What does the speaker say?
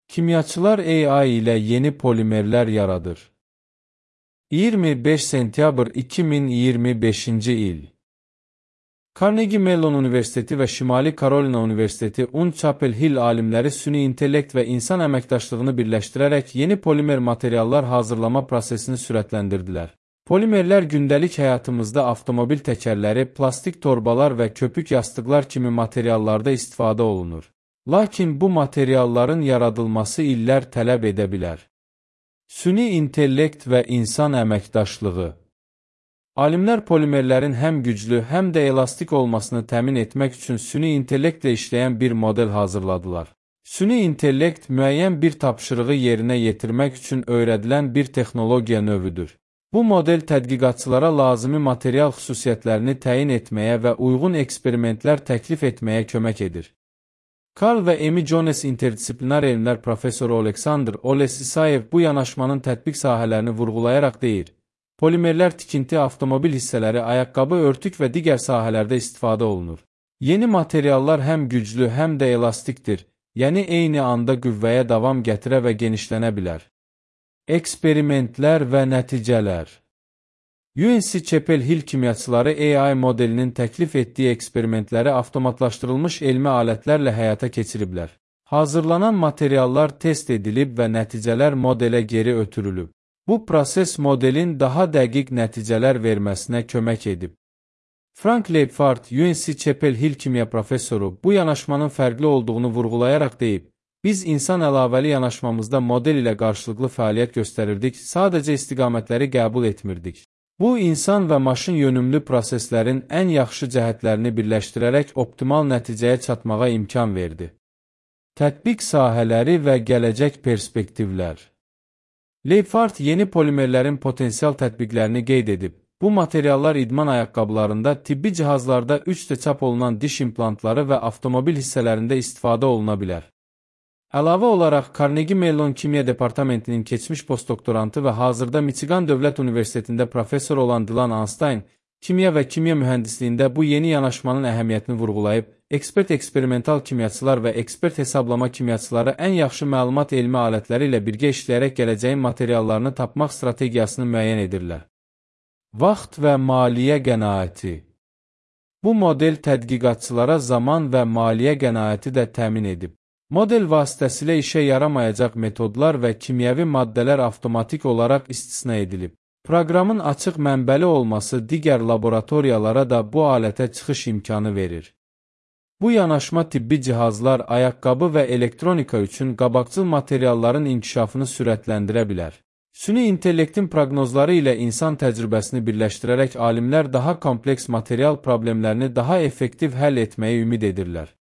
Kimyaçılar AI ilə yeni polimerlər yaradır. 25 sentyabr 2025-ci il. Carnegie Mellon Universiteti və Şimali Karolina Universiteti Chapel Hill alimləri süni intellekt və insan əməkdaşlığını birləşdirərək yeni polimer materiallar hazırlama prosesini sürətləndirdilər. Polimerlər gündəlik həyatımızda avtomobil təkərləri, plastik torbalar və köpük yastıqlar kimi materiallarda istifadə olunur. Lakin bu materialların yaradılması illər tələb edə bilər. Süni intellekt və insan əməkdaşlığı. Alimlər polimerlərin həm güclü, həm də elastik olmasını təmin etmək üçün süni intellektlə işləyən bir model hazırladılar. Süni intellekt müəyyən bir tapşırığı yerinə yetirmək üçün öyrədilən bir texnologiya növüdür. Bu model tədqiqatçılara lazımi material xüsusiyyətlərini təyin etməyə və uyğun eksperimentlər təklif etməyə kömək edir. Carl və Emi Jones interdisiplinar elmlər professoru Oleksandr Olesisayev bu yanaşmanın tətbiq sahələrini vurğulayaraq deyir: polimerlər tikinti, avtomobil hissələri, ayaqqabı, örtük və digər sahələrdə istifadə olunur. Yeni materiallar həm güclü, həm də elastikdir, yəni eyni anda qüvvəyə davam gətirə və genişlənə bilər. Eksperimentlər və nəticələr. Chapel Hill kimyaçıları AI modelinin təklif etdiyi eksperimentləri avtomatlaşdırılmış elmi alətlərlə həyata keçiriblər. Hazırlanan materiallar test edilib və nəticələr modelə geri ötürülüb. Bu proses modelin daha dəqiq nəticələr verməsinə kömək edib. Frank Leibfart, Chapel Hill kimya professoru, bu yanaşmanın fərqli olduğunu vurğulayaraq deyib: "Biz insan əlavəli yanaşmamızda model ilə qarşılıqlı fəaliyyət göstərirdik, sadəcə istiqamətləri qəbul etmirdik." Bu, insan və maşın yönümlü proseslərin ən yaxşı cəhətlərini birləşdirərək optimal nəticəyə çatmağa imkan verdi. Tətbiq sahələri və gələcək perspektivlər. Leibfart yeni polimerlərin potensial tətbiqlərini qeyd edib. Bu materiallar idman ayaqqabılarında, tibbi cihazlarda 3D çap olunan diş implantları və avtomobil hissələrində istifadə oluna bilər. Əlavə olaraq, Carnegie Mellon Kimya Departamentinin keçmiş postdoktorantı və hazırda Michigan Dövlət Universitetində professor olan Dylan Einstein, kimya və kimya mühəndisliyində bu yeni yanaşmanın əhəmiyyətini vurğulayıb, ekspert eksperimental kimyaçılar və ekspert hesablama kimyaçıları ən yaxşı məlumat elmi alətləri ilə birgə işləyərək gələcəyin materiallarını tapmaq strategiyasını müəyyən edirlər. Vaxt və maliyyə qənaəti. Bu model tədqiqatçılara zaman və maliyyə qənaəti də təmin edib. Model vasitəsilə işə yaramayacaq metodlar və kimyəvi maddələr avtomatik olaraq istisna edilib. Proqramın açıq mənbəli olması digər laboratoriyalara da bu alətə çıxış imkanı verir. Bu yanaşma tibbi cihazlar, ayaqqabı və elektronika üçün qabaqcıl materialların inkişafını sürətləndirə bilər. Süni intellektin proqnozları ilə insan təcrübəsini birləşdirərək alimlər daha kompleks material problemlərini daha effektiv həll etməyi ümid edirlər.